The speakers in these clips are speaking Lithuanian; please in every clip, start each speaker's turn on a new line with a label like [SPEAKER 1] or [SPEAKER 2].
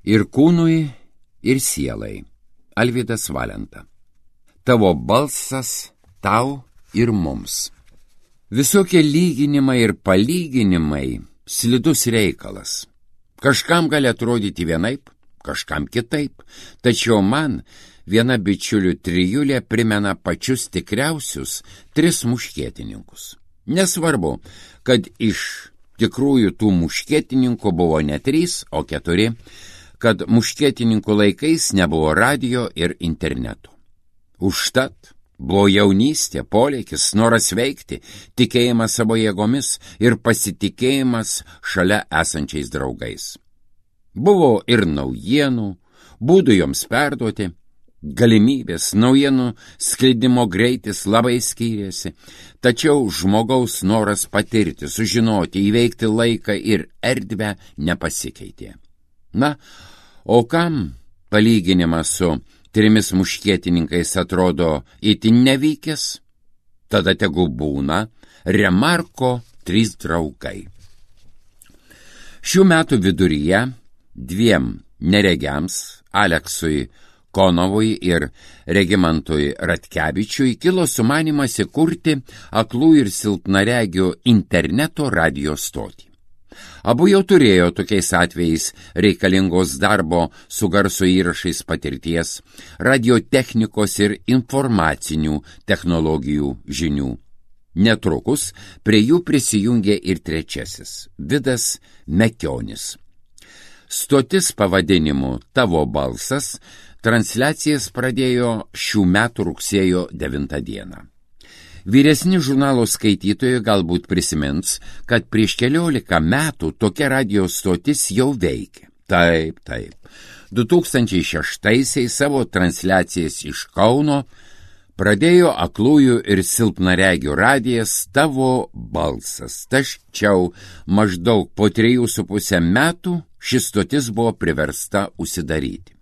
[SPEAKER 1] Ir kūnui, ir sielai. Alvydas Valenta. Tavo balsas tau ir mums. Visokie lyginimai ir palyginimai slidus reikalas. Kažkam gali atrodyti vienaip, kažkam kitaip, tačiau man viena bičiulių trijulė primena pačius tikriausius 3 muškietininkus. Nesvarbu, kad iš tikrųjų tų muškietininkų buvo ne 3, o 4, kad muškietininkų laikais nebuvo radio ir interneto. Užtat buvo jaunystė, polėkis, noras veikti, tikėjimas savo jėgomis ir pasitikėjimas šalia esančiais draugais. Buvo ir naujienų, būdų joms perduoti, galimybės, naujienų skleidimo greitis labai skyrėsi, tačiau žmogaus noras patirti, sužinoti, įveikti laiką ir erdvę nepasikeitė. Na, o kam palyginimas su 3 muškietininkais atrodo itin nevykęs? Tada tegu būna Remarko 3 draugai. Šių metų viduryje 2 neregiams, Aleksui Konovui ir Regimantui Ratkevičiui, kilo sumanymas įkurti aklų ir silpnaregių interneto radio stotį. Abu jau turėjo tokiais atvejais reikalingos darbo su garso įrašais patirties, radiotechnikos ir informacinių technologijų žinių. Netrukus prie jų prisijungė ir 3, Vidas Mekionis. Stotis pavadinimu Tavo balsas transliacijas pradėjo šių metų rugsėjo 9 dieną. Vyresni žurnalo skaitytojai galbūt prisimins, kad prieš 14 metų tokia radio stotis jau veikė. Taip. 2006-aisiais savo transliacijas iš Kauno pradėjo aklųjų ir silpnaregių radijas Tavo balsas. Tačiau maždaug po 3,5 metų šis stotis buvo priversta užsidaryti.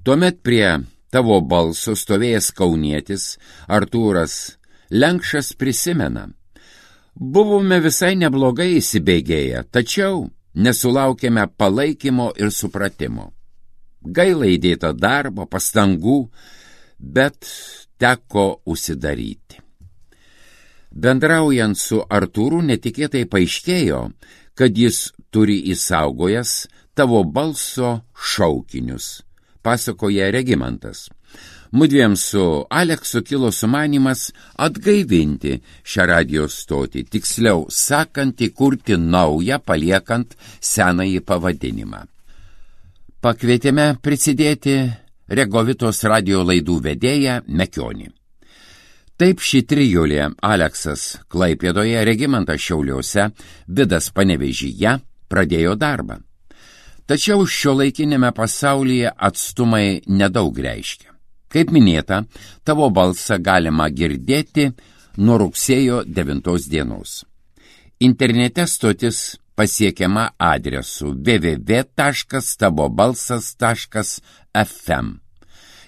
[SPEAKER 1] Tuomet prie Tavo balso stovėjęs kaunietis Artūras Lenkšas prisimena. Buvome visai neblogai įsibėgėję, tačiau nesulaukėme palaikymo ir supratimo. Gaila įdėta darbo, pastangų, bet teko užsidaryti. Bendraujant su Artūru netikėtai paaiškėjo, kad jis turi įsaugojęs Tavo balso šaukinius, pasakoja Regimantas. Mudviem su Aleksu kilo sumanymas atgaivinti šią radio stotį, tiksliau sakant, įkurti naują, paliekant senąjį pavadinimą. Pakvietėme prisidėti Regovitos radio laidų vedėją Mekionį. Taip ši trijulė Aleksas Klaipėdoje, Regimantas Šiauliuose, Vidas Panevėžyje pradėjo darbą. Tačiau šiuolaikinėme pasaulyje atstumai nedaug reiškia. Kaip minėta, Tavo balsą galima girdėti nuo rugsėjo 9 dienos. Internete stotis pasiekiama adresu www.tavobalsas.fm.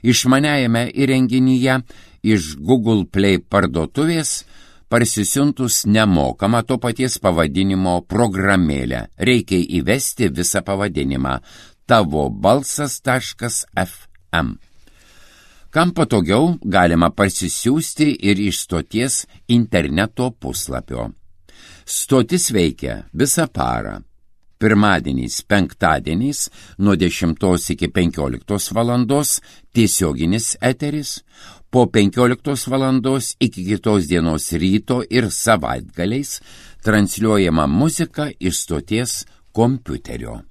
[SPEAKER 1] Išmaniajame įrenginyje iš Google Play parduotuvės parsisiuntus nemokamą to paties pavadinimo programėlę. Reikia įvesti visą pavadinimą tavobalsas.fm. Kam patogiau, galima parsisiųsti ir iš stoties interneto puslapio. Stotis veikia visą parą. Pirmadieniais, penktadieniais nuo 10 iki 15 valandos tiesioginis eteris, po 15 valandos iki kitos dienos ryto ir savaitgaliais transliuojama muzika iš stoties kompiuterio.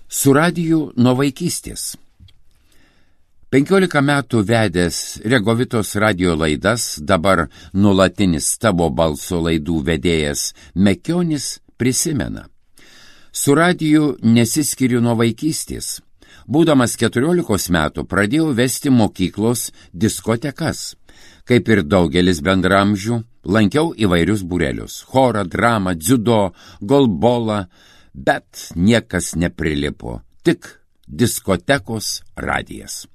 [SPEAKER 1] Su radiju nuo vaikystės. 15 metų vedęs Regovitos radio laidas, dabar nuolatinis Tavo balso laidų vedėjas Mekionis prisimena. Su radiju nesiskiriu nuo vaikystės. Būdamas 14 metų pradėjau vesti mokyklos diskotekas. Kaip ir daugelis bendramžių, lankiau įvairius būrelius – chorą, dramą, dziudo, golbolą, bet niekas neprilipo, tik diskotekos radijas.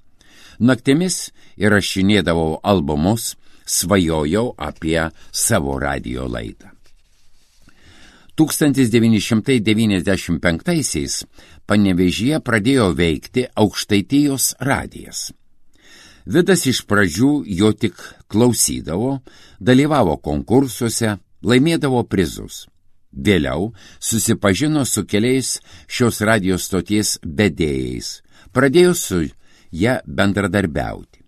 [SPEAKER 1] Naktimis įrašinėdavau albumus, svajojau apie savo radio laidą. 1995-aisiais Panevėžyje pradėjo veikti Aukštaitijos radijas. Vidas iš pradžių jo tik klausydavo, dalyvavo konkursuose, laimėdavo prizus. Vėliau susipažino su keliais šios radijos stoties vedėjais, pradėjo su ją bendradarbiauti.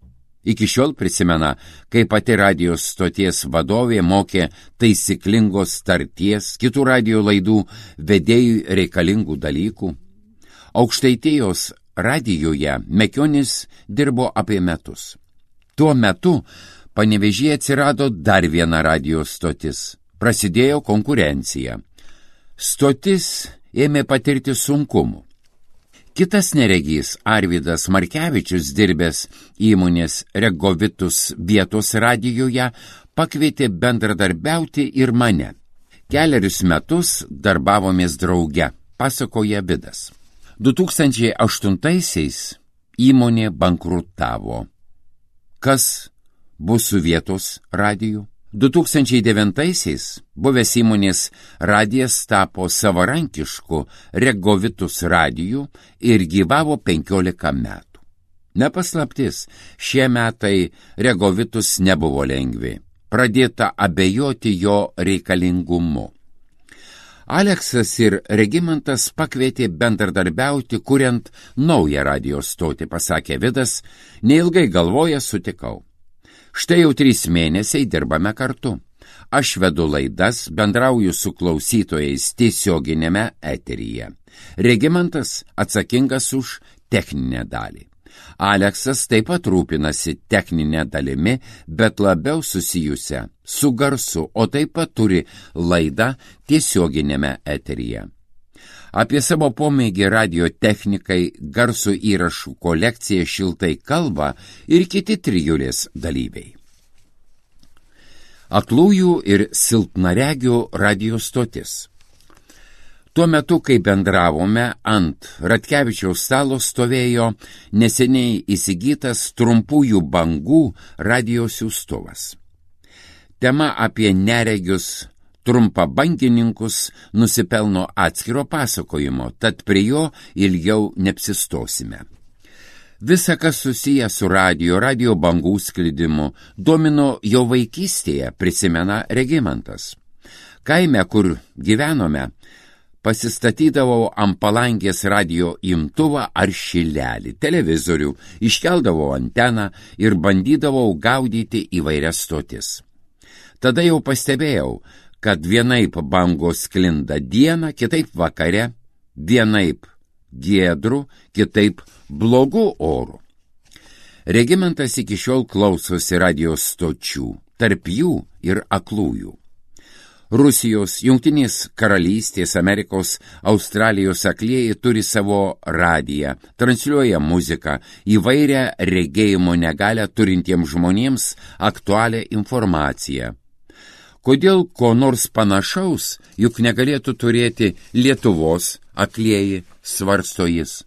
[SPEAKER 1] Iki šiol prisimena, kai pati radijos stoties vadovė mokė taisyklingos tarties, kitų radijo laidų vedėjų reikalingų dalykų. Aukštaitijos radijoje Mekionis dirbo apie metus. Tuo metu Panevėžyje atsirado dar viena radijos stotis. Prasidėjo konkurencija. Stotis ėmė patirti sunkumų. Kitas neregys Arvydas Markevičius, dirbęs įmonės Regovitus vietos radijoje, pakvietė bendradarbiauti ir mane. Kelerius metus darbavomės drauge, pasakoja Vidas. 2008-aisiais įmonė bankrutavo. Kas bus su vietos radiju? 2009-aisiais buvęs įmonės radijas tapo savarankišku Regovitus radiju ir gyvavo 15 metų. Nepaslaptis, šie metai Regovitus nebuvo lengvi. Pradėta abejoti jo reikalingumu. Aleksas ir Regimantas pakvietė bendradarbiauti, kuriant naują radijos stotį, pasakė Vidas, neilgai galvoja sutikau. Štai jau 3 mėnesiai dirbame kartu. Aš vedu laidas, bendrauju su klausytojais tiesioginėme eteryje. Regimantas atsakingas už techninę dalį. Aleksas taip pat rūpinasi techninę dalimi, bet labiau susijusią su garsu, o taip pat turi laidą tiesioginėme eteryje. Apie savo pomėgį radio technikai, garso įrašų kolekciją šiltai kalba ir kiti trijulės dalyviai. Aklųjų ir silpnaregių radio stotis. Tuo metu, kai bendravome, ant Ratkevičiaus stalo stovėjo neseniai įsigytas trumpųjų bangų radio siųstuvas. Tema apie neregius trumpabangininkus nusipelno atskiro pasakojimo, tad prie jo ilgiau neapsistosime. Visa, kas susiję su radio bangų sklidimu, domino jo vaikystėje, prisimena Regimantas. Kaime, kur gyvenome, pasistatydavau ant palangės radio imtuvą ar šilelį, televizorių, iškeldavau anteną ir bandydavau gaudyti įvairias stotis. Tada jau pastebėjau, kad vienaip bangos sklinda dieną, kitaip vakare, vienaip giedrų, kitaip blogų orų. Regimantas iki šiol klausosi radijos stočių, tarp jų ir aklųjų. Rusijos, Jungtinės karalystės, Amerikos, Australijos aklieji turi savo radiją, transliuoja muziką, įvairią regėjimo negalią turintiems žmonėms aktualią informaciją. Kodėl ko nors panašaus, juk negalėtų turėti Lietuvos aklieji, svarsto jis.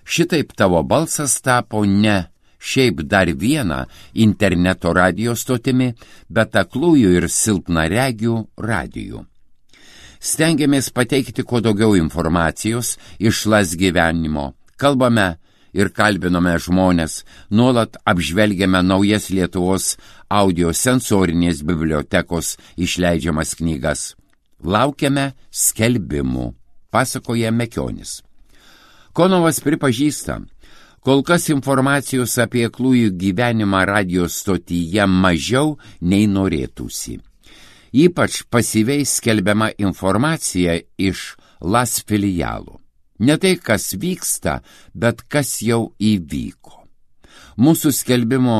[SPEAKER 1] Šitaip tavo balsas tapo ne šiaip dar vieną interneto radio stotimi, bet aklųjų ir silpnaregių radijų. Stengiamės pateikti kuo daugiau informacijos iš las gyvenimo, kalbame ir kalbinome žmonės, nuolat apžvelgiame naujas Lietuvos audiosensorinės bibliotekos išleidžiamas knygas. Laukiame skelbimų, pasakoja Mekionis. Konovas pripažįsta, kol kas informacijos apie aklųjų gyvenimą radijos stotyje mažiau nei norėtųsi. Ypač pasyviai skelbiama informacija iš las filialų. Ne tai, kas vyksta, bet kas jau įvyko. Mūsų skelbimo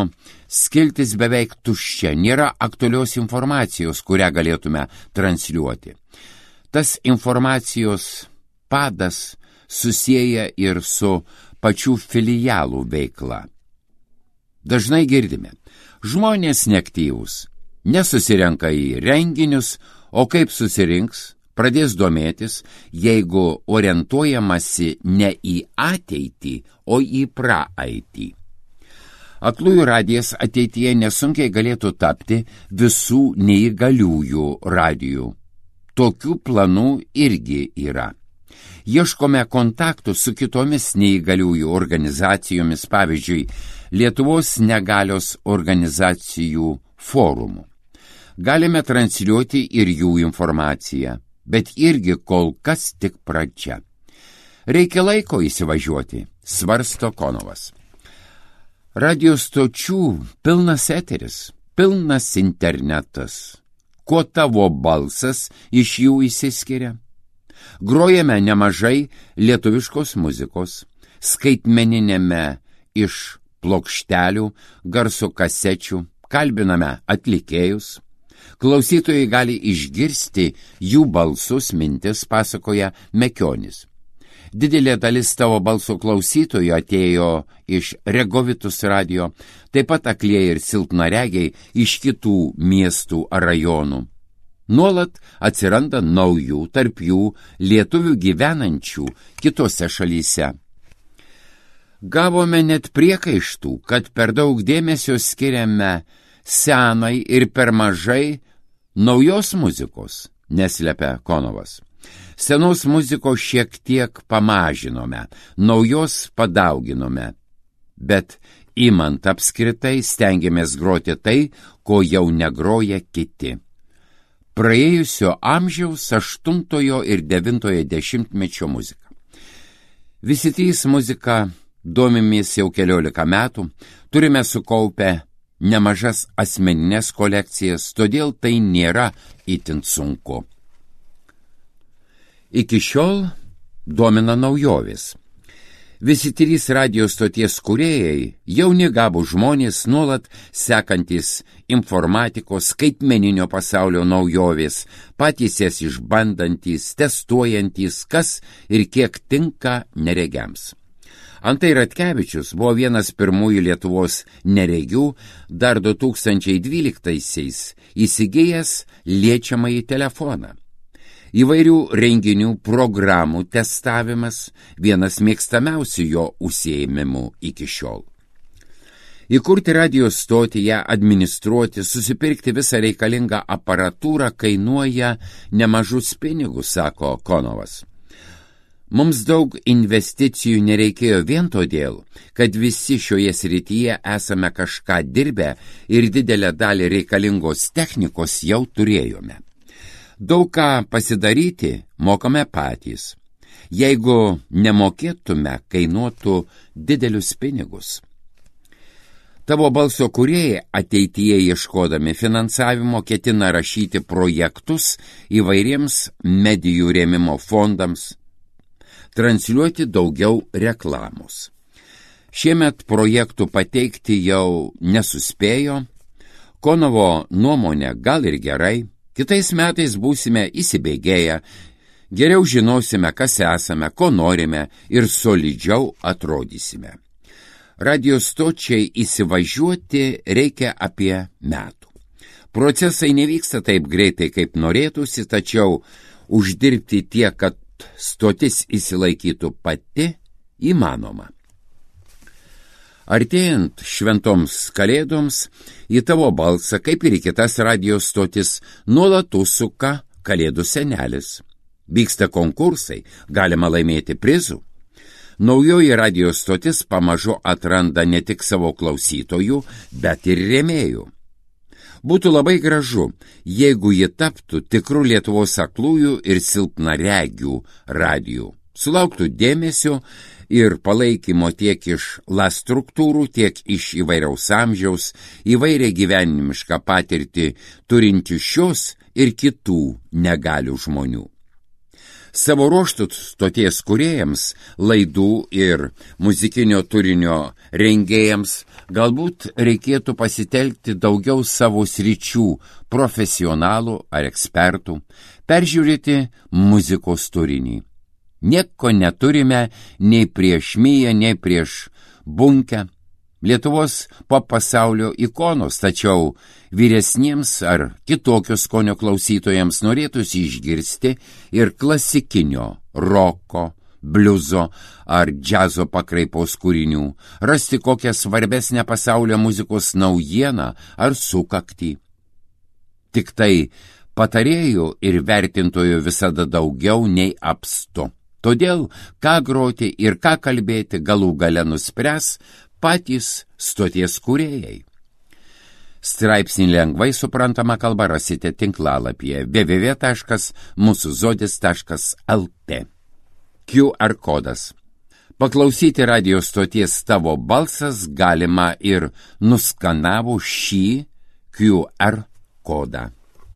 [SPEAKER 1] skiltis beveik tuščia, nėra aktualios informacijos, kurią galėtume transliuoti. Tas informacijos padas susieja ir su pačių filialų veikla. Dažnai girdime, žmonės neaktyvūs, nesusirenka į renginius, o kaip susirinks, pradės domėtis, jeigu orientuojamasi ne į ateitį, o į praeitį. Aklųjų radijas ateityje nesunkiai galėtų tapti visų neįgaliųjų radijų. tokių planų irgi yra. Ieškome kontaktų su kitomis neįgaliųjų organizacijomis, pavyzdžiui, Lietuvos negalios organizacijų forumu. Galime transliuoti ir jų informaciją, bet irgi kol kas tik pradžia. Reikia laiko įsivažiuoti, svarsto Konovas. Radio stočių pilnas eteris, pilnas internetas. Kuo tavo balsas iš jų išsiskiria? Grojame nemažai lietuviškos muzikos, skaitmeninėme iš plokštelių, garso kasečių, kalbiname atlikėjus. Klausytojai gali išgirsti jų balsus, mintis, pasakoja Mekionis. Didelė dalis tavo balso klausytojų atėjo iš Regovitus radio, taip pat aklieji ir silpnaregiai iš kitų miestų ar rajonų. Nuolat atsiranda naujų, tarp jų lietuvių gyvenančių kitose šalyse. Gavome net priekaištų, kad per daug dėmesio skiriame senai ir per mažai naujos muzikos, neslepia Konovas. Senos muzikos šiek tiek pamažinome, naujos padauginome, bet imant apskritai stengiamės groti tai, ko jau negroja kiti. Praėjusio amžiaus 8 ir 9 dešimtmečio muzika. Visi trys muzika domimės jau 14 metų, turime sukaupę nemažas asmeninės kolekcijas, todėl tai nėra itin sunku. Iki šiol domina naujovės. Visi trys radio stoties kūrėjai, jauni gabūs žmonės, nuolat sekantis informatikos, skaitmeninio pasaulio naujovės, patys jas išbandantys, testuojantys, kas ir kiek tinka neregiams. Antai Ratkevičius buvo vienas pirmųjų Lietuvos neregių, dar 2012-aisiais įsigijęs liečiamąjį telefoną. Įvairių renginių programų testavimas vienas mėgstamiausių jo užsiėmimų iki šiol. Įkurti radio stotį, ją administruoti, susipirkti visą reikalingą aparatūrą kainuoja nemažus pinigus, sako Konovas. Mums daug investicijų nereikėjo vien todėl, kad visi šioje srityje esame kažką dirbę ir didelę dalį reikalingos technikos jau turėjome. Daug ką pasidaryti mokame patys. Jeigu nemokėtume, kainuotų didelius pinigus. Tavo balso kūrėjai ateityje ieškodami finansavimo ketina rašyti projektus įvairiems medijų rėmimo fondams, transliuoti daugiau reklamos. Šiemet projektų pateikti jau nesuspėjo, Konovo nuomonė gal ir gerai, kitais metais būsime įsibėgėję, geriau žinosime, kas esame, ko norime ir solidžiau atrodysime. Radio stočiai įsivažiuoti reikia apie metų. Procesai nevyksta taip greitai, kaip norėtųsi, tačiau uždirbti tiek, kad stotis įsilaikytų pati, įmanoma. Artėjant šventoms kalėdoms, į tavo balsą, kaip ir į kitas radio stotis, nuolat užsuka kalėdų senelis. Vyksta konkursai, galima laimėti prizų. Naujoji radio stotis pamažu atranda ne tik savo klausytojų, bet ir rėmėjų. Būtų labai gražu, jeigu ji taptų tikrų Lietuvos aklųjų ir silpnaregių radijų, sulauktų dėmesio ir palaikymo tiek iš LAS struktūrų, tiek iš įvairiaus amžiaus, įvairią gyvenimišką patirtį turinčių šios ir kitų negalių žmonių. Savo ruožtų stoties kūrėjams, laidų ir muzikinio turinio rengėjams galbūt reikėtų pasitelkti daugiau savo sričių profesionalų ar ekspertų, peržiūrėti muzikos turinį. Nieko neturime nei prieš Miją, nei prieš Bunkę, Lietuvos pop pasaulio ikonos, tačiau vyresniems ar kitokios skonio klausytojams norėtųsi išgirsti ir klasikinio, roko, bliuzo ar džiazo pakraipos kūrinių, rasti kokią svarbesnę pasaulio muzikos naujieną ar sukaktį. Tik tai Patarėjų ir vertintojų visada daugiau nei apstu. Todėl, ką groti ir ką kalbėti galų gale nuspręs patys stoties kūrėjai. Straipsnį lengvai suprantama kalba rasite tinklalapyje www.musuzodis.lt. QR kodas. Paklausyti radio stoties Tavo balsas galima ir nuskanavus šį QR kodą.